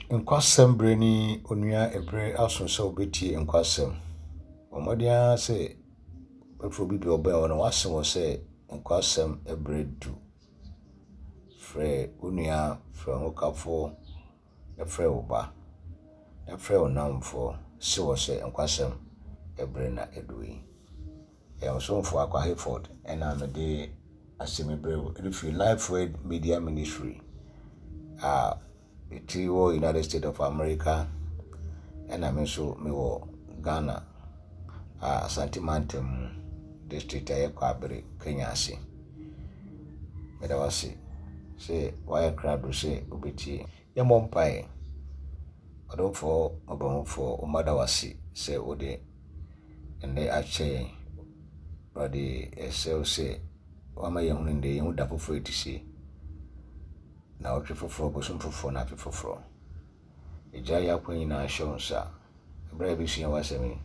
Nkwasɛm berɛ ni onua ɛberɛ aso sɛ wobɛtie nkwasɛm. Bɔ mmɔden ara sɛ wobɛfrɛ obi bi a ɔbɛn wo na wase wɔ sɛ nkwasɛm berɛ du. Frɛ wo nua, frɛ wo hokafoɔ, na frɛ wo ba, na frɛ wo nnamfoɔ se wɔ sɛ nkwasɛm berɛ na adu yi. Ɛyɛ wo somfo Akwa Hayford na mede asɛm yi brɛ wo ɛfiri Life Word Media Ministry a ɛti wɔ United States of America ɛna me nso mewɔ Ghana a Asante Mantam mu district a ɛyɛ Kwaabere Kenya ase. Meda wo ase sɛ woayɛ krado sɛ wobɛtie. Yɛmmɔ mpaeɛ. Ɔdomfoɔ mmɔborɔhunufoɔ, wo mma da wo ase sɛ wode Ɛnnɛ akyɛ yɛn. Awurade, yɛsrɛ wo sɛ woama yɛahunu nnɛ yi ho da foforɔ a ɛte sei, nnawɔtwe foforɔ, bosom foforɔ, na afe foforɔ. Yɛgyae yɛn akwan nyinaa hyɛ wo nsa. Ɛberɛ a yɛbɛsua w'asɛm yi,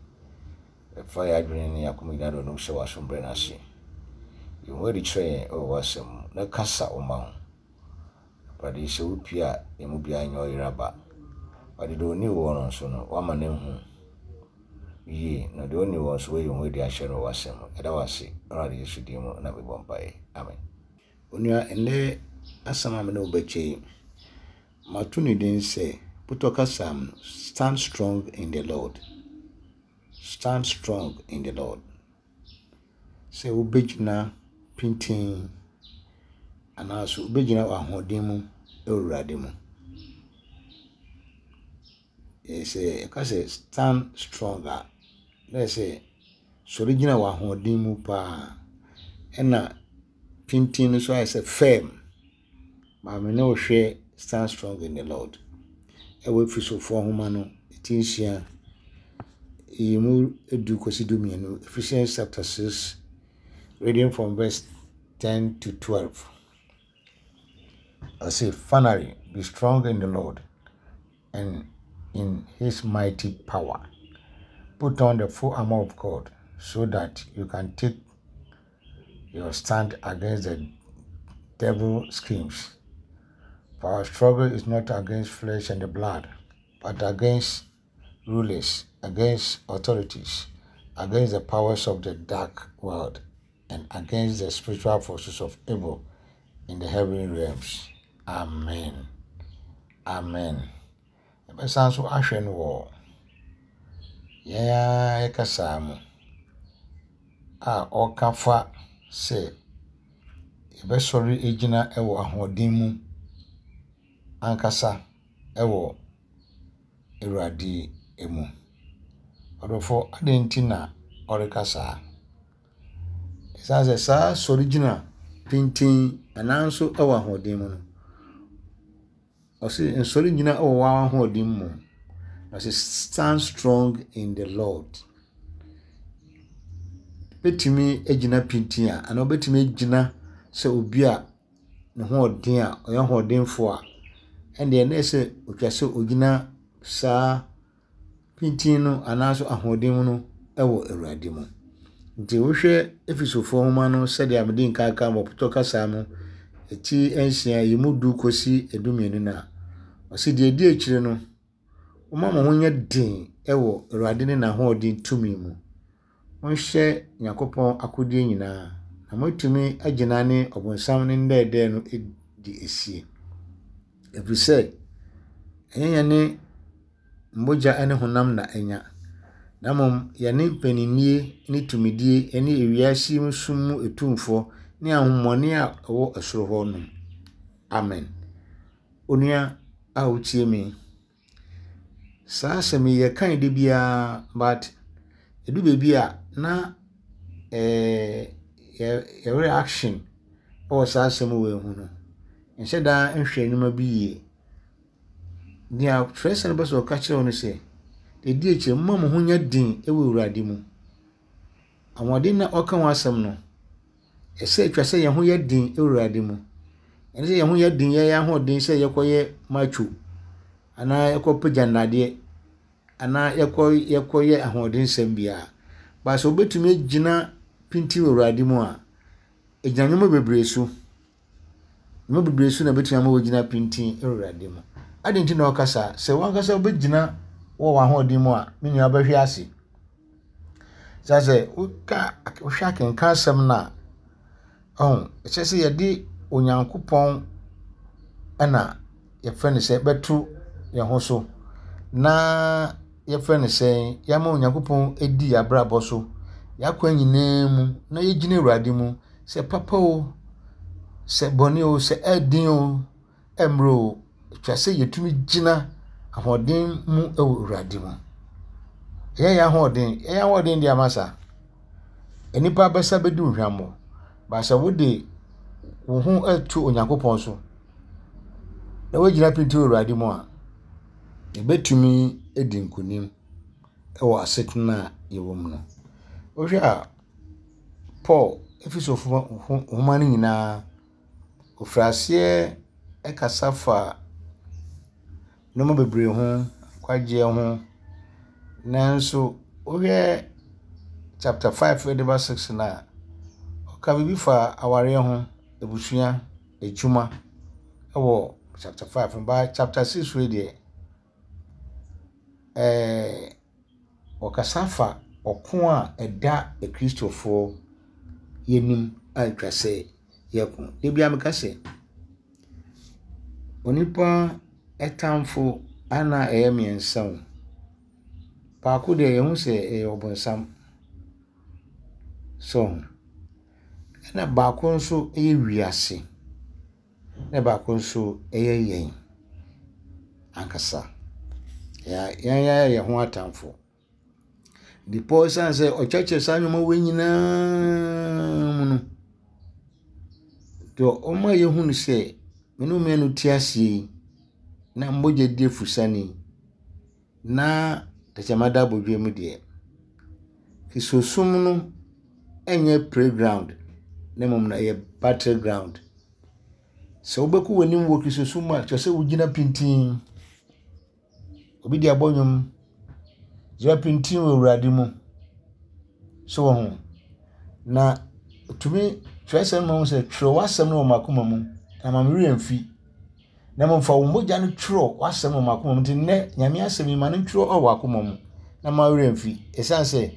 yɛfa yɛn adwene ne yɛn akoma nyinaa de ɔno hyɛ w'asom berɛ no ase. Yi wo ho adi kyerɛ yɛn wɔ w'asɛm mu, na kasa wo mma ho. Awurade, sɛ wopue a, yɛn mu biara nyɛ ɔyera ba. Awurade, deɛ ɔnni woɔ no nso no, woama no ahu yie, na deɛ ɔnni woɔ nso, woayi wo ho adi akyerɛ no wɔ w'asɛm mu. Yɛda wo ase, Awurade Yesu din mu na mebɔ mpaeɛ. Amen. Onua, ɛnnɛ asɛm a me ne wo bɛkyɛ yi, mato ne din sɛ, Putɔ kasa mu no, Stand Strong in the Lord. Stand Strong in the Lord. Sɛ wobɛgyina pintinn anaasɛ wobɛgyina w'ahoɔden mu wɔ Awurade mu. Sɛ yɛka sɛ stand strong a, na kyerɛ sɛ sɔre gyina w'ahoɔden mu pa ara. Ɛna pintinn no nso ayɛ sɛ firm. Maame ne wo hwɛ Stand Strong in the Lord ɛwɔ Efesofoɔ nwoma no ti nsia, yi mu du kɔsi du mmienu, Ephesians chapter 6, reading from verse 10 to 12. Ɔse, finally, be strong in the Lord and in his mighty power. Put on the full armor of God so that you can take your stand against the devil schemes. For our struggle is not against flesh and the blood, but against rulers, against authorities, against the powers of the dark world, and against the spiritual forces of evil in the heavenly realms. Amen. Amen. Yɛbɛsan nso ahwɛ no wɔ yɛn ara yɛn kasa mu a ɔreka fa sɛ yɛbɛsɔre agyina wɔ ahoɔden mu ankasa wɔ Awurade mu. Ɔdɔfoɔ, adɛn nti na ɔreka saa? Ɛsiane sɛ saa sɔre gyina pintinn anaa nso wɔ ahoɔden mu no, Ɔse nsɔre nnyina wɔ w'ahoɔden mu. Ɔse stand strong in the Lord. Wobɛtumi agyina pintinn a anaa wobɛtumi agyina sɛ obi a ne ho ɔden a ɔyɛ ɔhoɔdenfoɔ a, ɛnneɛ na ɛsɛ sɛ ɔtwa sɛ ɔgyina saa pintinn no anaasɛ ahoɔden mu no wɔ Awurade mu. Nti wohwɛ Efesofoɔ nwoma no sɛdeɛ mede nkan ka wɔ pɔtɔ kasa mu ti nsia yi mu du kɔsi 12 no a, ɔse deɛ ɛdi akyire no, momma mo ho nyɛ den wɔ Awurade ne n'ahoɔden tumi mu. Monhyɛ Nyankopɔn akodeɛ nyinaa na moatumi agyina ne ɔbonsam ne nnɛɛdɛɛ no di asie. Ɛfiri sɛ, ɛnyɛ yɛne mogya ne honam na anya, na mmom yɛne mpaninnie ne tumidie ne ewiase yi sum mu atumfoɔ ne ahonhommɔne a ɛwɔ soro hɔ nom. Amen. Onua a wotie me, saa asɛm yi yɛka no da biara but ɛdu baabi a na ɛɛ yɛ reaction wɔ saa asɛm wei ho no, nhyɛ da nhwɛ nneɛma bi yie. Nea twerɛsɛm no pɛ sɛ ɔka kyerɛ wo ne sɛ, deɛ ɛdi akyire, momma mo ho nyɛ den wɔ Awurade mu. Ahoɔden na ɔka ho asɛm no, ɛsɛ atwa sɛ yɛn ho yɛ den wɔ Awurade mu. Ɛne sɛ yɛn ho yɛ den, yɛyɛ ahoɔden sɛ yɛkɔyɛ macho anaa yɛkɔpagya nnadeɛ anaa yɛkɔ yɛkɔyɛ ahoɔdensɛm biara. But sɛ wobɛtumi agyina pintinn wɔ Awurade mu a, ɛgyina nneɛma bebree so. Nneɛma bebree so na ɛbɛtumi ama woagyina pintinn wɔ Awurade mu. Adɛn nti na ɔka saa? Sɛ w'ankasa wobɛgyina wɔ w'ahoɔden mu a, me nua wobɛhwe ase. Sɛ sɛ woka wohwɛ akenkan asɛm no a, ɔho ɛkyerɛ sɛ yɛde Onyankopɔn na yɛfrɛ no sɛ bɛto yɛn ho so na yɛfrɛ no sɛ yɛama Onyankopɔn adi yɛn abrabɔ so, yɛn akwan nyinaa mu na yɛgyina Awurade mu sɛ papa o, sɛ bɔne o, sɛ ɛden o, ɛmmerɛ o, ɛtwa sɛ yɛtumi gyina ahoɔden mu wɔ Awurade mu. Ɛnyɛ yɛn ahoɔden, yɛn ahoɔden deɛ ama saa. Nnipa bɛsa bɛdi wo hwammɔ, but sɛ wode wo ho to Onyankopɔn so na woagyina pintinn wɔ Awurade mu a, yɛbɛtumi adi nkonim wɔ asetena a yɛwɔ mu no. Wohwɛ a, Paul, Efesofo nhoma no nyinaa, ɔfiri aseɛ kasa fa nneɛma bebree ho, nkwagyeɛ ho. Nanso wohwɛ chapter 5 de ba 6 no a, ɔka biribi fa awareɛ ho, abusua, adwuma wɔ chapter 5 no. But chapter 6 wei deɛ, ɛɛ ɔkasa fa ɔko a ɛda Akristofoɔ anim a ɛtwa sɛ yɛko. Da biara meka sɛ, onipa tamfo ana ɛyɛ mmiɛnsa o. Baako deɛ yɛhu sɛ ɛyɛ ɔbonsam. So ho. Ɛna baako nso yɛ wiase. Ɛna baako nso yɛ yɛn ankasa. Yɛn ara yɛ yɛn ho atamfo. De Paul esiane sɛ ɔkyerɛkyerɛ saa nneɛma wei nyinaa mu no, deɛ ɔma yɛhu no sɛ me ne wo mmienu te aseɛ yi, na mogya di afusane yi, na tɛkyerɛma da abodwoɛ mu deɛ, Kristosom no nyɛ playground na mmom no ɛyɛ battle ground. Sɛ wobɛkɔ w'anim wɔ Kristosom mu a, kyerɛ sɛ wogyina pintinn. Obi de abɔ nnwom, gyina pintinn wɔ Awurade mu. So wɔ ho. Na tumi twerɛsɛm no ma hu sɛ twerɛ w'asɛm no wɔ m'akoma mu na ma me werɛ mfi. Na mmom fa wo mogya no twerɛ w'asɛm wɔ m'akoma mu. Nti nnɛ Nyame asɛm yi ma no ntwerɛ wɔ w'akoma mu na ma werɛ mfi. Ɛsiane sɛ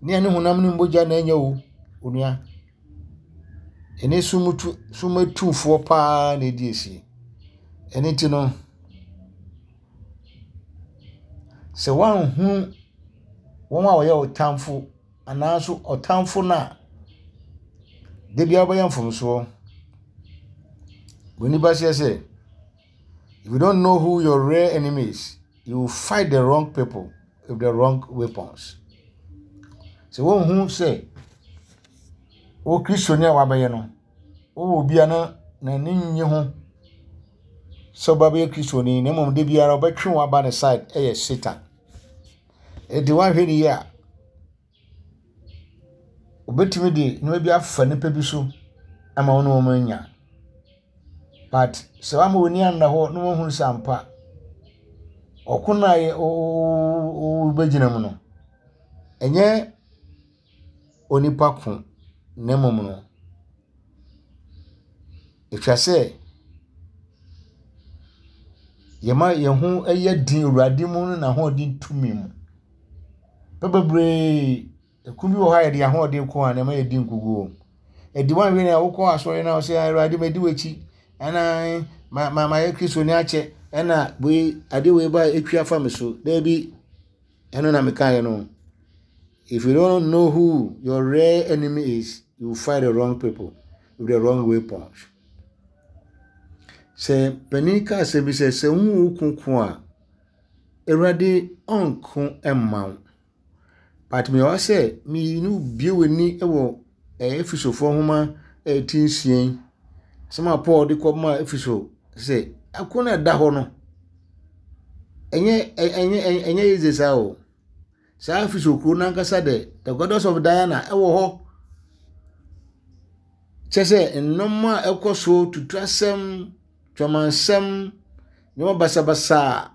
ne ɛne honam ne mogya na ɛnyɛ wo onua. Ɛne sum tu sum atumfoɔ paa na ɛdi asie. Ɛno nti no, sɛ woanhunu wɔn a wɔyɛ wo tamfo anaa nso ɔtamfo no a, da biara wobɛyɛ mfomsoɔ. Buroni ba seɛ sɛ, if you don't know who your real enemy is, you will fight the wrong people with the wrong weapons. Sɛ wonhu sɛ wo Kristoni a wabɛyɛ no, wowɔ obi a na n'ani nnye ho sɛ ɔba bɛyɛ Kristoni na mmom da biara ɔbɛtwe wo aba ne side yɛ Satan. Enti woanhwɛ ne yie a, obetumi de nneɛma bi afa nipa bi so ama wo ne wɔn anya. But sɛ wama w'ani anna hɔ na woahunu sɛ ampa ɔko no a wobɛgyina mu no, ɛnyɛ onipa ko na mmom no, ɛtwa sɛ yɛma yɛn ho yɛ den Awurade mu ne n'ahoɔden tumi mu. Nnipa bebree, ɛko bi wɔ hɔ a yɛde yɛn ahoɔden ko a na ɛma yɛdi nkoguo. Ɛdi wɔn ahwɛ a wokɔ asɔre na wɔsɛ Awurade madi w'akyi ɛna ma ma mayɛ Kristoni akyɛ ɛna wei ade wei ba etwi afa me so. Daabi, ɛno na mekaeɛ no. If you don't know who your real enemy is, you will fight the wrong people with the wrong weapons. Sɛ panin ka asɛm bi sɛ sɛ wohu wo ko ko a, Awurade ɔnko mma wo. But mewɔ ha sɛ me ne wo bue w'ani wɔ Efesofoɔ nwoma a ɛti nsia yi. Asɛm a Paul de kɔmaa Efeso sɛ ɛko no a ɛda hɔ no, ɛnyɛ ɛnyɛ ɛnyɛ easy saa o. Saa Efeso kuro no ankasa de, the goddess of Diana ɛwɔ hɔ. Kyɛ sɛ nneɛma a ɛkɔ so, tutuasɛm, twamansɛm, nneɛma basabasa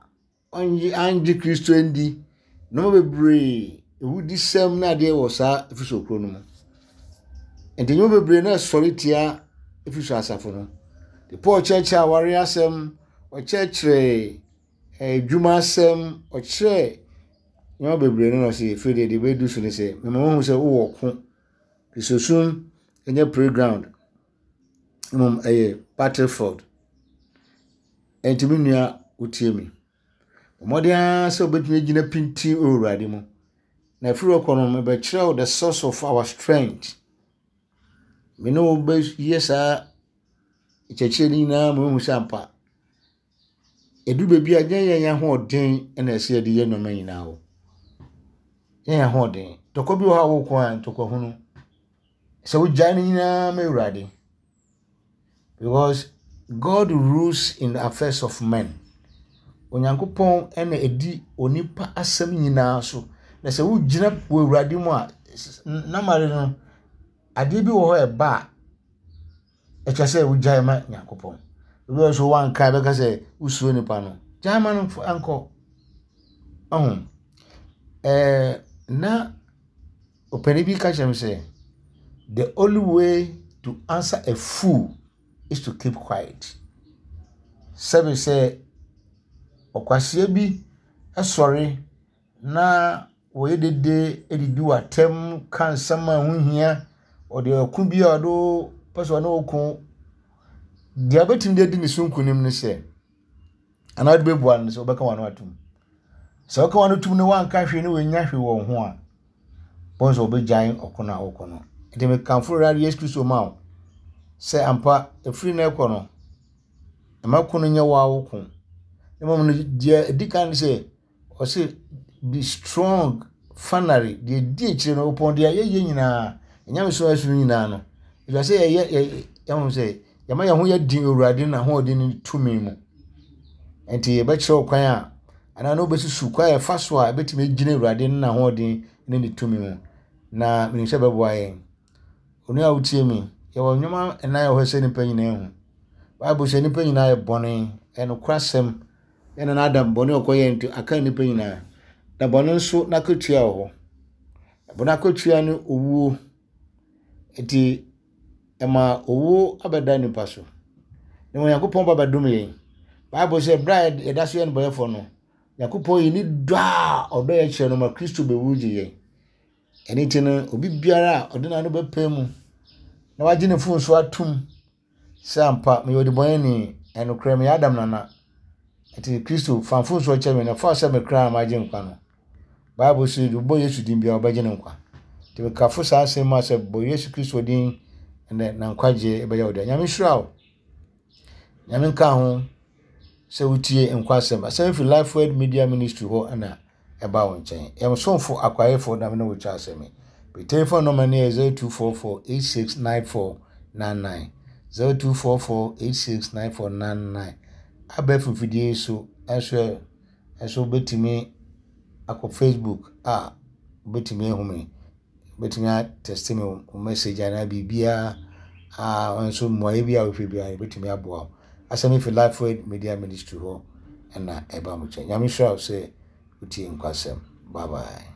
a ɔnnye annye Kristo anndi, nneɛma bebree, awudisɛm ne adeɛ wɔ saa Efeso kuro no mu. Nti nneɛma bebree na ɛsɔre tia Efeso asafo no. Nti Paul kyerɛkyerɛ awareɛ asɛm, ɔkyerɛkyerɛ. adwuma asɛm, ɔkyerɛɛ nneɛma bebree no na ɔse afei deɛ deɛ ɛbɛdu so ne sɛ mema woahu sɛ wowɔ ɔko. Kristosom nyɛ playground, mmom ɛyɛ battlefield. Ɛnti me nua wotie me. Bɔ mmɔden ara sɛ wobɛtumi agyina pintinn wɔ Awurade mu. Na ɛfiri hɔ kɔ no, mebɛkyerɛ wo the source of our strength. Me ne wo bɛyɛ saa nkyerɛkyerɛ no nyinaa ma woahu sɛ ampa ɛduru baabi a nyɛ yɛn ahoɔden na ɛsɛ yɛde yɛ nneɛma nyinaa o. Nyɛ yɛn ahoɔden. Ntɔkwa bi wɔ hɔ a woko a ntɔkwa hunu. Sɛ wogyae no nyinaa ma Awurade. Because God rules in the affairs of men. Onyankopɔn na ɛdi onipa asɛm nyinaa so. Na sɛ wogyina wɔ Awurade mu a, namare no, adeɛ bi wɔ hɔ a ɛba a, ɛkyɛ sɛ wogyae ma Nyankopɔn. Ebi wɔ so wanka bɛka sɛ wosuro nipa no. Gyae ma no nkɔ. Ɔho. Ɛɛ na ɔpanin bi ka kyerɛ me sɛ, the only way to answer a fool is to keep quiet. Sɛbe sɛ ɔkwasea bi sɔre na wɔyɛ dede didi w'atɛm ka nsɛm a ɛho nhia, ɔde ɔko bi a ɔde wo pɛ sɛ ɔne wo ko. Deɛ wobɛtumi de adi ne so nkonim ne sɛ, anaa wode bɛbua no sɛ wobɛka w'ano atom. Sɛ woka w'ano tom na woanka hwee na wannya hwee wɔ wo ho a, bɔn sɛ wɔbɛgyae ɔko no a wokɔ no. Nti mekamfo Awurade Yesu Kristo ma wo sɛ ampa ɛfiri no ɛkɔ no, mma ko no nyɛ wo ara wo ko. Mmom no, deɛ ɛdi kan ne sɛ Ɔse be strong finally deɛ ɛdi akyire no ɔpɔn deɛ yɛyɛ nyinaa nyamesom ɛso no nyinaa no ɛfiri sɛ yɛyɛ yɛhu sɛ yɛma yɛn ho yɛ den Awurade na ahoɔden ne tumi mu nti yɛbɛkyerɛ kwan a anaa na wobɛsusu kwan a yɛfa so a ɛbɛtumi agyina Awurade ne n'ahoɔden ne ne tumi mu na menim sɛ bɛboa yɛn. Onua a wotie me, yɛwɔ nneɛma nnan wɔ hɔ sɛ nnipa nyinaa hu. Bible sɛ nnipa nyinaa yɛ bɔne, ɛyɛ nokorasɛm. Yɛn nana Adam bɔne a ɔkɔyɛɛ nti aka nnipa nyinaa. Na bɔne nso n'akatua wɔ hɔ. Bɔne akatua ne owuo. Nti ɛma owuo abɛda nnipa so. Na Onyankopɔn ba bɛdom yɛn. Bible sɛ berɛ a yɛda so yɛ nnebɔneyɛfoɔ no, Onyankopɔn yi ne dɔ a ɔdɔ yɛn kyerɛ no ma Kristo bɛwu gye yɛn. Ɛno nti no, obi biara a ɔde n'ano bɛpae mu na wagye ne mfomso atom sɛ ampa meyɛ ɔdebɔneyɛni, ɛnokorɛ meyɛ Adam nana, nti Kristo fa mfomsoɔ kyɛ me na fa sɛ me kra a magye nkwa no. Bible se deɛ ɔbɔ Yesu din biara ɔbɛgye no nkwa. Nti mekafo saa asɛm mu a sɛ bɔ Yesu Kristo din ɛnɛ na nkwagyeɛ ɛbɛyɛ wo dea. Nyame nhyira wo. Nyame nka ho sɛ wotie nkwa asɛm. Asɛm firi Life Word Media Ministry hɔ na ɛba wo nkyɛn. Yɛn somfo akwaefo na me ne wo kyɛ asɛm yi. Me telephone number no yɛ 0244 869499. 0244 869499. Abɛɛfo mfidie yi so nso nso wobɛtumi akɔ Facebook a wobɛtumi ahu me. Wobɛtumi atɛste me wo message anaa biribiara a nso mmuaeɛ bi a wohwɛ biara yɛbɛtumi aboa wo. Asɛm yi fi Life Word Media Ministry hɔ na ɛba mo nkyɛn. Nyame nhyira wo sɛ wotie nkwasɛm. Bye bye.